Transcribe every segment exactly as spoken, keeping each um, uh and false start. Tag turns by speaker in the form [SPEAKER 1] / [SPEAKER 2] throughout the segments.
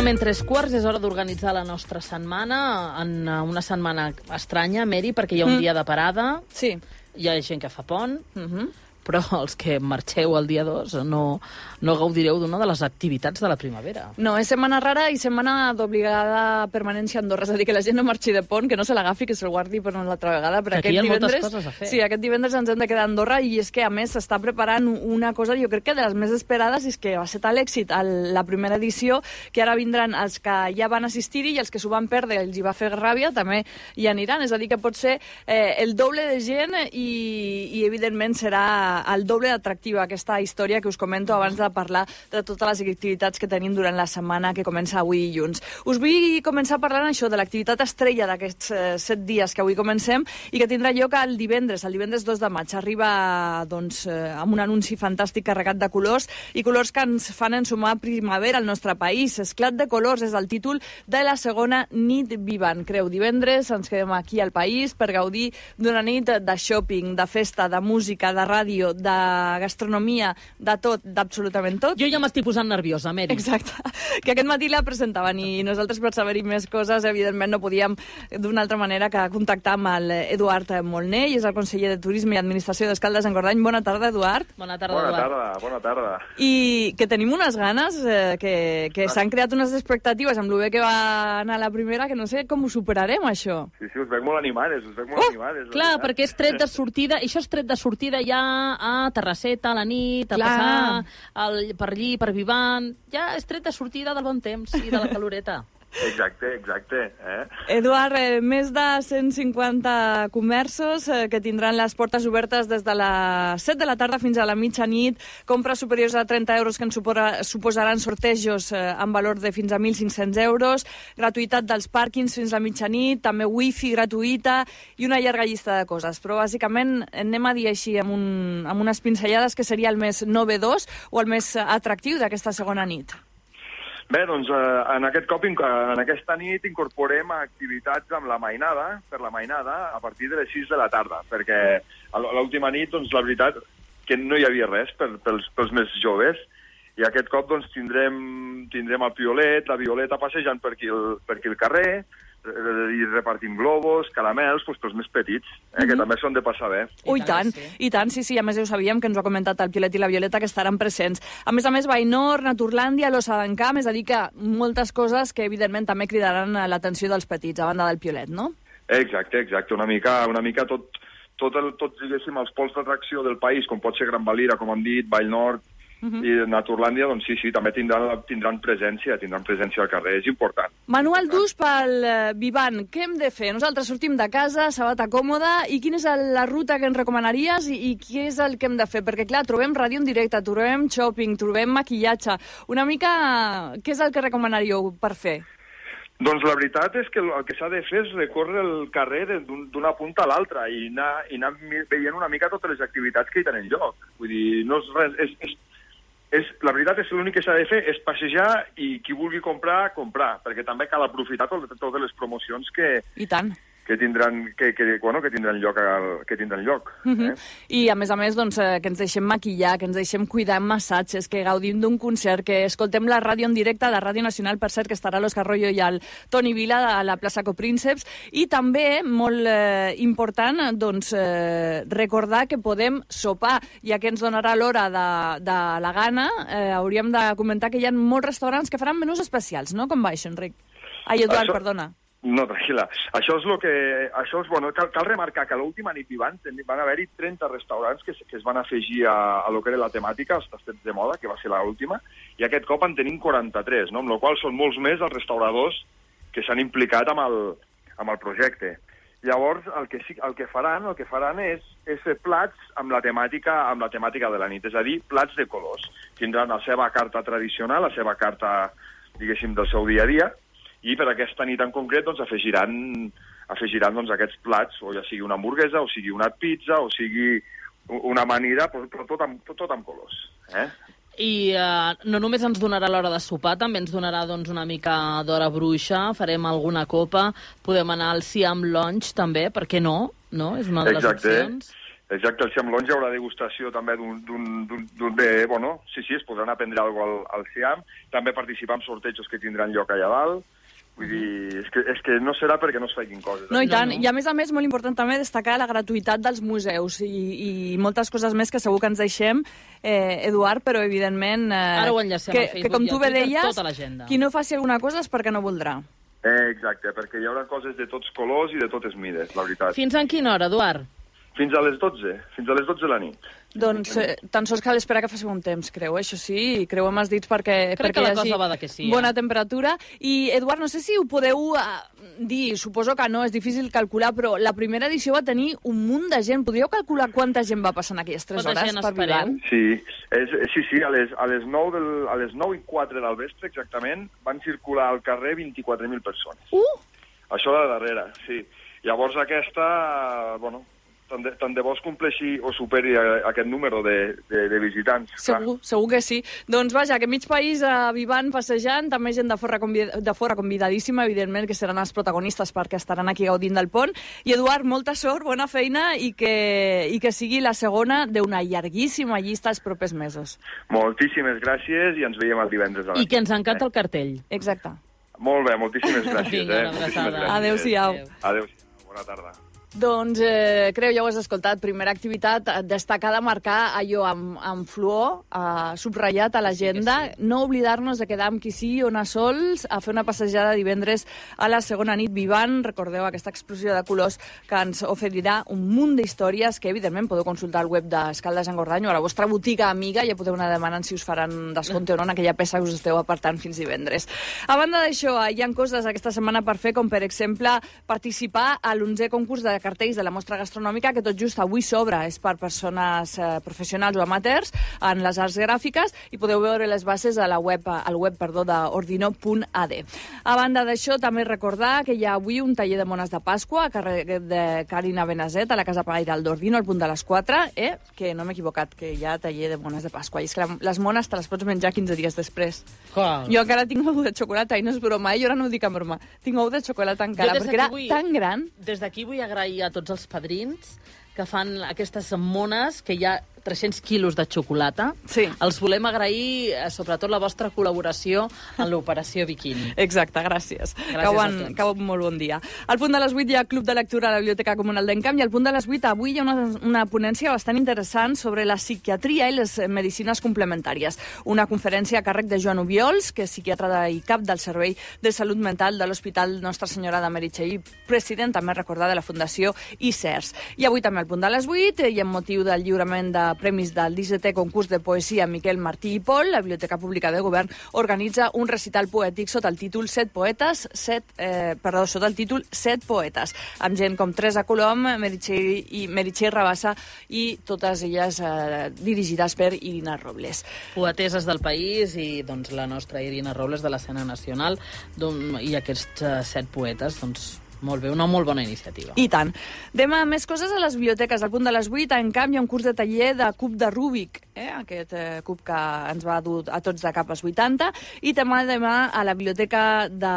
[SPEAKER 1] Exactament tres quarts, és hora d'organitzar la nostra setmana, en una setmana estranya, Mary, perquè hi ha un mm. dia de parada,
[SPEAKER 2] sí.
[SPEAKER 1] Hi ha gent que fa pont,
[SPEAKER 2] uh-huh.
[SPEAKER 1] però els que marxeu el dia dos no, no gaudireu d'una de les activitats de la primavera.
[SPEAKER 2] No, és setmana rara i setmana d'obligada permanència a Andorra, és a dir, que la gent no marxi de pont, que no se l'agafi, que se'l guardi per una altra vegada. Per
[SPEAKER 1] que
[SPEAKER 2] aquest
[SPEAKER 1] aquí hi ha
[SPEAKER 2] divendres,
[SPEAKER 1] moltes coses a fer.
[SPEAKER 2] Sí, aquest divendres ens hem de quedar a Andorra i és que, a més, s'està preparant una cosa, jo crec que de les més esperades, és que va ser tal èxit a la primera edició que ara vindran els que ja van assistir-hi i els que s'ho van perdre, els hi va fer ràbia, també hi aniran. És a dir, que pot ser eh, el doble de gent i, i evidentment, serà el doble d'atractiva aquesta història que us comento abans de parlar de totes les activitats que tenim durant la setmana que comença avui dilluns. Us vull començar parlant això de l'activitat estrella d'aquests eh, set dies que avui comencem i que tindrà lloc el divendres, el divendres dos de maig. Arriba doncs, eh, amb un anunci fantàstic carregat de colors i colors que ens fan ensumar primavera al nostre país. Esclat de colors és el títol de la segona nit Vivant. Creu, divendres ens quedem aquí al país per gaudir d'una nit de shopping, de festa, de música, de ràdio, de gastronomia, de tot, d'absolutament tot.
[SPEAKER 1] Jo ja m'estic posant nerviosa, Mary.
[SPEAKER 2] Exacte. Que aquest matí la presentaven i nosaltres, per saber-hi més coses, evidentment no podíem d'una altra manera que contactar amb l'Eduard Molné, i és el conseller de Turisme i Administració d'Escaldes-Engordany. Bona tarda, Eduard.
[SPEAKER 1] Bona tarda,
[SPEAKER 3] bona
[SPEAKER 1] Eduard.
[SPEAKER 3] tarda, bona tarda.
[SPEAKER 2] I que tenim unes ganes, eh, que, que s'han creat unes expectatives amb el bé que va anar la primera, que no sé com ho superarem, això.
[SPEAKER 3] Sí, sí, us veig molt animades, us veig molt
[SPEAKER 2] oh,
[SPEAKER 3] animades.
[SPEAKER 1] Clar, perquè és tret de sortida, i això és tret de sortida ja a Terrasseta, a la nit, a Clar. passar el, per allí, per Vivant. Ja és tret de sortida del bon temps i de la caloreta.
[SPEAKER 3] Exacte, exacte. Eh?
[SPEAKER 2] Eduard, eh, més de cent cinquanta comerços eh, que tindran les portes obertes des de les set de la tarda fins a la mitjanit, compres superiors a trenta euros que ens supora, suposaran sortejos eh, amb valor de fins a mil cinc-cents euros, gratuïtat dels pàrquings fins a mitjanit, també wifi gratuïta i una llarga llista de coses. Però bàsicament anem a dir així amb, un, amb unes pinzellades que seria el més novedós o el més atractiu d'aquesta segona nit.
[SPEAKER 3] Bé, doncs eh, en aquest cop, en aquesta nit, incorporem activitats amb la mainada, per la mainada, a partir de les sis de la tarda, perquè a l'última nit, doncs, la veritat, que no hi havia res per, pels, pels més joves, i aquest cop, doncs, tindrem, tindrem el Piolet, la Violeta passejant per aquí el, per aquí el carrer, i repartim globus, caramels, doncs, pels més petits, eh, mm-hmm. que també són de passar bé.
[SPEAKER 2] Oh, i tant, sí. i tant, sí, sí, a més ho sabíem, que ens ho ha comentat el Piolet i la Violeta, que estaran presents. A més a més, Bainor, Naturlàndia, l'Ossa d'en Camp, és a dir que moltes coses que, evidentment, també cridaran l'atenció dels petits, a banda del Piolet, no?
[SPEAKER 3] Exacte, exacte, una mica, una mica tot, tot, el, tot diguéssim, els pols d'atracció del país, com pot ser Gran Valira, com hem dit, Vallnord, Uh-huh. i Naturlàndia, doncs sí, sí, també tindran, tindran presència, tindran presència al carrer, és important.
[SPEAKER 2] Manual d'ús pel uh, Vivant, què hem de fer? Nosaltres sortim de casa, sabata còmoda, i quina és la ruta que ens recomanaries i, i què és el que hem de fer? Perquè, clar, trobem ràdio en directe, trobem shopping, trobem maquillatge. Una mica, què és el que recomanaríeu per fer?
[SPEAKER 3] Doncs la veritat és que el que s'ha de fer és recórrer el carrer d'una punta a l'altra i anar, i anar veient una mica totes les activitats que hi tenen lloc. Vull dir, no és res... És, és... És, la veritat és que l'únic que s'ha de fer és passejar i qui vulgui comprar, comprar, perquè també cal aprofitar tot, totes les promocions que,
[SPEAKER 2] I tant.
[SPEAKER 3] que tindran, que, que, bueno, que tindran lloc. Que tindran lloc eh?
[SPEAKER 2] uh-huh. I, a més a més, doncs, eh, que ens deixem maquillar, que ens deixem cuidar amb massatges, que gaudim d'un concert, que escoltem la ràdio en directe de Ràdio Nacional, per cert, que estarà l'Òscar Royo i el Toni Vila a la plaça Coprínceps, i també, molt eh, important, doncs, eh, recordar que podem sopar, ja que ens donarà l'hora de, de la gana, eh, hauríem de comentar que hi ha molts restaurants que faran menús especials, no? Com va això, Enric? Ai, Eduard, això... perdona.
[SPEAKER 3] No, tranquil·la. Això és el que... Això és, bueno, cal, cal remarcar que a l'última nit Vivant van haver-hi trenta restaurants que, que es van afegir a, a lo que era la temàtica, els tastets de moda, que va ser l'última, i aquest cop en tenim quaranta-tres, no? Amb la qual són molts més els restauradors que s'han implicat amb el, amb el projecte. Llavors, el que, el que faran, el que faran és, és fer plats amb la, temàtica, amb la temàtica de la nit, és a dir, plats de colors. Tindran la seva carta tradicional, la seva carta, diguéssim, del seu dia a dia, i per aquesta nit en concret doncs, afegiran, afegiran doncs, aquests plats, o ja sigui una hamburguesa, o sigui una pizza, o sigui una amanida, però tot amb, tot, tot amb colors. Eh?
[SPEAKER 1] I uh, no només ens donarà l'hora de sopar, també ens donarà doncs, una mica d'hora bruixa, farem alguna copa, podem anar al Siam Lounge també, per què no? No? És una de les
[SPEAKER 3] Exacte.
[SPEAKER 1] opcions.
[SPEAKER 3] Exacte, el Siam Lounge hi haurà degustació també d'un... Bueno, sí, sí, es podran aprendre alguna cosa al, al Siam. També participar en sortejos que tindran lloc allà dalt. Vull dir, és que, és que no serà perquè no es facin coses.
[SPEAKER 2] No, i tant. No, no. I a més a més, molt important també destacar la gratuïtat dels museus i, i moltes coses més que segur que ens deixem, eh, Eduard, però evidentment... Eh,
[SPEAKER 1] Ara ho enllacem
[SPEAKER 2] que,
[SPEAKER 1] a Facebook
[SPEAKER 2] que, com
[SPEAKER 1] i a
[SPEAKER 2] tu bé
[SPEAKER 1] Twitter,
[SPEAKER 2] deies,
[SPEAKER 1] tota l'agenda.
[SPEAKER 2] Qui no faci alguna cosa és perquè no voldrà.
[SPEAKER 3] Eh, exacte, perquè hi haurà coses de tots colors i de totes mides, la veritat.
[SPEAKER 1] Fins en quina hora, Eduard?
[SPEAKER 3] Fins a les dotze, fins a les dotze de la nit.
[SPEAKER 2] Doncs eh, tan sols cal esperar que faci un temps, creu, això sí, creu amb els dits perquè,
[SPEAKER 1] Crec
[SPEAKER 2] perquè
[SPEAKER 1] que la
[SPEAKER 2] hi hagi
[SPEAKER 1] cosa va de que sí, eh?
[SPEAKER 2] bona temperatura. I, Eduard, no sé si ho podeu eh, dir, suposo que no, és difícil calcular, però la primera edició va tenir un munt de gent. Podríeu calcular quanta gent va passar en aquelles tres
[SPEAKER 1] Quanta
[SPEAKER 2] hores
[SPEAKER 1] gent
[SPEAKER 2] per
[SPEAKER 1] espereu?
[SPEAKER 2] Vivant?
[SPEAKER 3] Sí, és, sí, sí, a les, a les nou del, a les nou i quatre del vespre, exactament, van circular al carrer vint-i-quatre mil persones.
[SPEAKER 2] Uh!
[SPEAKER 3] Això de darrere, sí. Llavors aquesta, bueno, tant de, tant de bo es compleixi o superi a, a aquest número de, de, de visitants.
[SPEAKER 2] Segur, clar. Segur que sí. Doncs vaja, que mig país a Vivant passejant, també gent de fora, convid de fora convidadíssima, evidentment, que seran els protagonistes perquè estaran aquí gaudint del pont. I Eduard, molta sort, bona feina i que, i que sigui la segona d'una llarguíssima llista els propers mesos.
[SPEAKER 3] Moltíssimes gràcies i ens veiem el divendres a la
[SPEAKER 1] I que ens encanta el cartell.
[SPEAKER 2] Exacte.
[SPEAKER 3] Molt bé, moltíssimes gràcies.
[SPEAKER 1] Vinga,
[SPEAKER 3] eh? Moltíssimes gràcies.
[SPEAKER 2] Adéu-siau.
[SPEAKER 3] Adéu-siau, bona tarda.
[SPEAKER 2] Doncs, eh, creu, ja ho has escoltat, primera activitat destacada, marcar allò amb, amb fluor, eh, subratllat a l'agenda, sí sí. No oblidar-nos de quedar amb qui sí o anar sols, a fer una passejada divendres a la segona nit Vivant. Recordeu aquesta explosió de colors que ens oferirà un munt d'històries que, evidentment, podeu consultar al web d'Escaldes Engordany o a la vostra botiga amiga, ja podeu anar demanant si us faran descompte o no en aquella peça que us esteu apartant fins divendres. A banda d'això, hi ha coses aquesta setmana per fer, com per exemple participar a l'onzè concurs de cartells de la mostra gastronòmica, que tot just avui s'obre, és per persones eh, professionals o amateurs en les arts gràfiques, i podeu veure les bases a la web, al web perdó, d'ordino punt a d. A banda d'això, també recordar que hi ha avui un taller de mones de Pasqua a carrer de Carina Benazet, a la Casa Pairal d'Ordino, al punt de les quatre, eh? que no m'he equivocat, que hi ha taller de mones de Pasqua. I és que les mones te les pots menjar quinze dies després.
[SPEAKER 1] Clar.
[SPEAKER 2] Jo encara tinc ou de xocolata, i no és broma, eh? Jo ara no ho dic en broma. Tinc ou de xocolata encara, perquè era vull... tan gran.
[SPEAKER 1] Des d'aquí vull agrair a tots els padrins que fan aquestes mones, que hi ha tres-cents quilos de xocolata.
[SPEAKER 2] Sí.
[SPEAKER 1] Els volem agrair, sobretot, la vostra col·laboració en l'operació Bikini.
[SPEAKER 2] Exacte, gràcies.
[SPEAKER 1] Gràcies
[SPEAKER 2] cau
[SPEAKER 1] a
[SPEAKER 2] en,
[SPEAKER 1] tots.
[SPEAKER 2] cau molt bon dia. Al punt de les vuit hi ha Club de Lectura a la Biblioteca Comunal d'Encamp, i al punt de les vuit avui hi ha una, una ponència bastant interessant sobre la psiquiatria i les medicines complementàries. Una conferència a càrrec de Joan Obiols, que és psiquiatre i cap del Servei de Salut Mental de l'Hospital Nostra Senyora de Meritxell, president, també recordar, de la Fundació I C E R S. I avui també al punt de les vuit, i amb motiu del lliurament de premis del dissetè concurs de poesia Miquel Martí i Pol, la Biblioteca Pública de Govern organitza un recital poètic sota el títol Set poetes, set, eh, perdó, sota el títol Set poetes, amb gent com Teresa Colom, Meritxell, i Meritxell Rabassa, i totes elles eh, dirigides per Irina Robles.
[SPEAKER 1] Poeteses del país i doncs, la nostra Irina Robles de l'escena nacional, i aquests uh, set poetes, doncs, molt bé, una molt bona iniciativa.
[SPEAKER 2] I tant. Demà més coses a les biblioteques. Al punt de les vuit, en canvi, hi ha un curs de taller de cub de Rúbic, eh? aquest eh, cub que ens va dur a tots de cap als vuitanta. I demà, demà a la Biblioteca de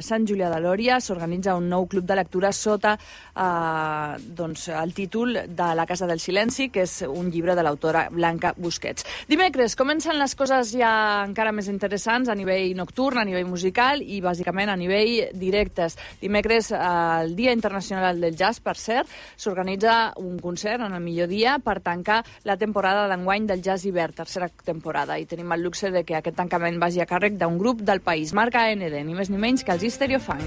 [SPEAKER 2] Sant Julià de Lòria s'organitza un nou club de lectura sota eh, doncs, el títol de La Casa del Silenci, que és un llibre de l'autora Blanca Busquets. Dimecres comencen les coses ja encara més interessants a nivell nocturn, a nivell musical i bàsicament a nivell directes. Dimecres, el Dia Internacional del Jazz, per cert, s'organitza un concert en el millor dia per tancar la temporada d'enguany del Jazz Hivern, tercera temporada, i tenim el luxe de que aquest tancament vagi a càrrec d'un grup del país, marca A N D, ni més ni menys que els Stereo Funk.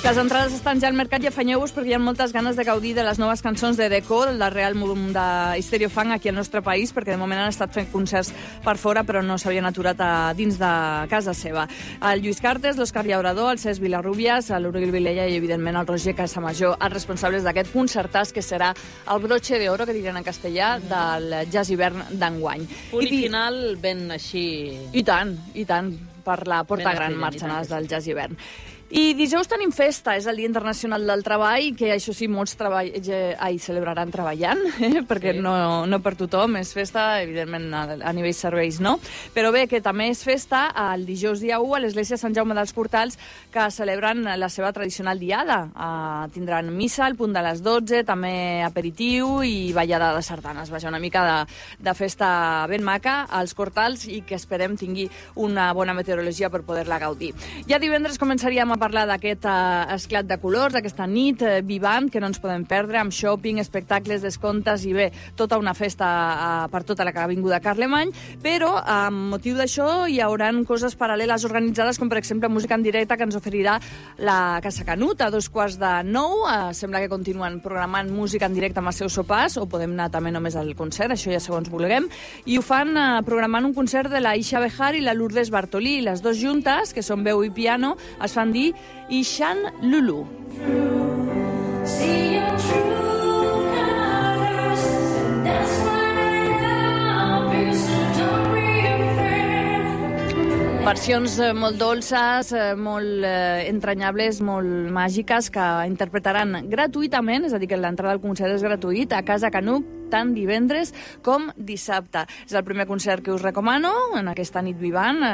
[SPEAKER 2] Les entrades estan ja al mercat i afanyeu-vos perquè hi ha moltes ganes de gaudir de les noves cançons de Deco, del darrer àlbum de Stereo Funk aquí al nostre país, perquè de moment han estat fent concerts per fora però no s'havien aturat a dins de casa seva. El Lluís Cartes, l'Òscar Llaurador, el Cesc Vilarrubias, l'Uriel Vilella i evidentment el Roger Casamajor, els responsables d'aquest concertàs que serà el broche de oro, que diran en castellà, del Jazz Hivern d'enguany.
[SPEAKER 1] Punt i final ben així...
[SPEAKER 2] I tant, i tant, per la porta
[SPEAKER 1] ben
[SPEAKER 2] gran
[SPEAKER 1] estrella,
[SPEAKER 2] marxen els del Jazz Hivern. I dijous tenim festa, és el Dia Internacional del Treball, que això sí, molts treball... ai, celebraran treballant, eh? perquè sí. no, no per tothom és festa, evidentment a, a nivell serveis no, però bé, que també és festa el dijous dia u a l'església Sant Jaume dels Cortals, que celebren la seva tradicional diada. Uh, tindran missa al punt de les dotze, també aperitiu i ballada de sardanes. Vaja, una mica de, de festa ben maca als Cortals i que esperem tingui una bona meteorologia per poder-la gaudir. Ja divendres començaríem a parlar d'aquest uh, esclat de colors, d'aquesta nit uh, vivant que no ens podem perdre, amb shopping, espectacles, descomptes i bé, tota una festa uh, per tota la Avinguda Carlemany, però amb motiu d'això hi haurà coses paral·leles organitzades, com per exemple música en directe que ens oferirà la Casa Canut a dos quarts de nou. Uh, sembla que continuen programant música en directe amb els seus sopars, o podem anar també només al concert, això ja segons vulguem, i ho fan uh, programant un concert de la Isha Bejar i la Lourdes Bartolí. Les dues juntes, que són veu i piano, es fan dir Ishan Lulu. See your true colors, and that's why I love you, so don't be afraid. Versions eh, molt dolces, eh, molt eh, entranyables, molt màgiques, que interpretaran gratuïtament, és a dir, que l'entrada al concert és gratuït, a Casa Canut, tant divendres com dissabte. És el primer concert que us recomano en aquesta nit vivant. Eh,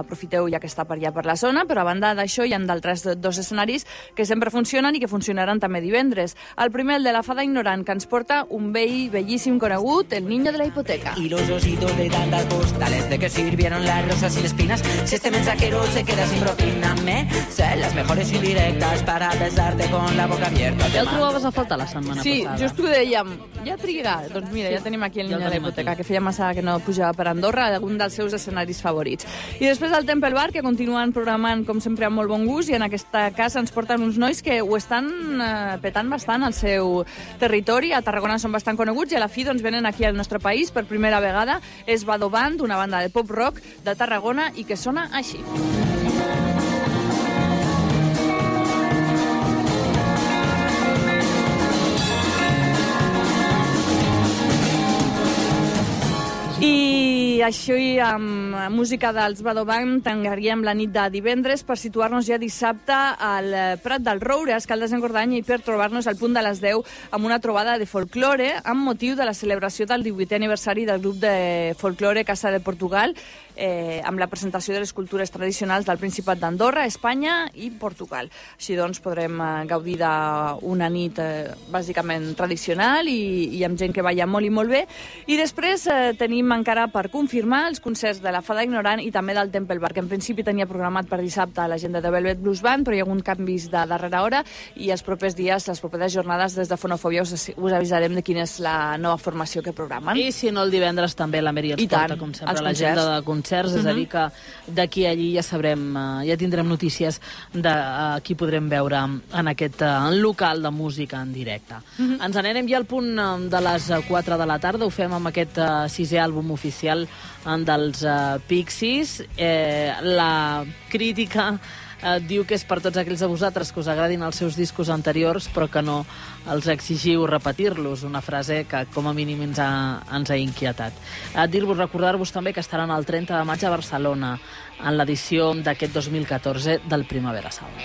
[SPEAKER 2] aprofiteu ja que està per allà per la zona, però a banda d'això hi ha d'altres dos escenaris que sempre funcionen i que funcionaran també divendres. El primer, el de la Fada Ignorant, que ens porta un vell bellíssim conegut, el Niño de la Hipoteca. Y los ositos de tantas postales de que sirvieron las rosas y las espinas. Si este mensajero se queda sin propina, me sé las mejores indirectas para besarte con la boca abierta.
[SPEAKER 1] Ja el trobaves a faltar la setmana
[SPEAKER 2] sí,
[SPEAKER 1] passada.
[SPEAKER 2] Sí, just ho dèiem. Ja trigarà. Doncs mira, ja tenim aquí el Niño ja de la Hipoteca, aquí. Que feia massa que no pujava per Andorra, algun dels seus escenaris favorits. I després el Temple Bar, que continuen programant, com sempre, amb molt bon gust, i en aquesta casa ens porten uns nois que ho estan eh, petant bastant al seu territori. A Tarragona són bastant coneguts i a la fi doncs, venen aquí al nostre país per primera vegada. És Vado Band, una banda de pop-rock de Tarragona i que sona així. I això i amb música dels Vado Band tancaríem la nit de divendres per situar-nos ja dissabte al Prat del Roure, a Escaldes d'Engordany, i per trobar-nos al punt de les deu amb una trobada de folklore amb motiu de la celebració del divuitè aniversari del grup de folklore Casa de Portugal, eh, amb la presentació de les cultures tradicionals del Principat d'Andorra, Espanya i Portugal. Així doncs podrem eh, gaudir d'una nit eh, bàsicament tradicional i, i amb gent que balla molt i molt bé. I després eh, tenim encara per confirmar els concerts de la Fada Ignorant i també del Temple Bar, que en principi tenia programat per dissabte a l'agenda de Velvet Blues Band, però hi ha hagut canvis de darrera hora i els propers dies, les properes jornades des de Fonofòbia us, us avisarem de quina és la nova formació que programen.
[SPEAKER 1] I si no, el divendres també la Meri ens porta, com sempre, l'agenda de concerts, és uh-huh. a dir que d'aquí a allí ja sabrem, ja tindrem notícies de uh, qui podrem veure en aquest uh, local de música en directe. Uh-huh. Ens n'anem ja al punt de les quatre de la tarda, ho fem amb aquest uh, sisè àlbum oficial dels uh, Pixies. Eh, la crítica eh, diu que és per tots aquells de vosaltres que us agradin els seus discos anteriors però que no els exigiu repetir-los, una frase que com a mínim ens ha, ens ha inquietat. Eh, dir-vos, recordar-vos també que estaran el trenta de maig a Barcelona en l'edició d'aquest dos mil catorze del Primavera Sound.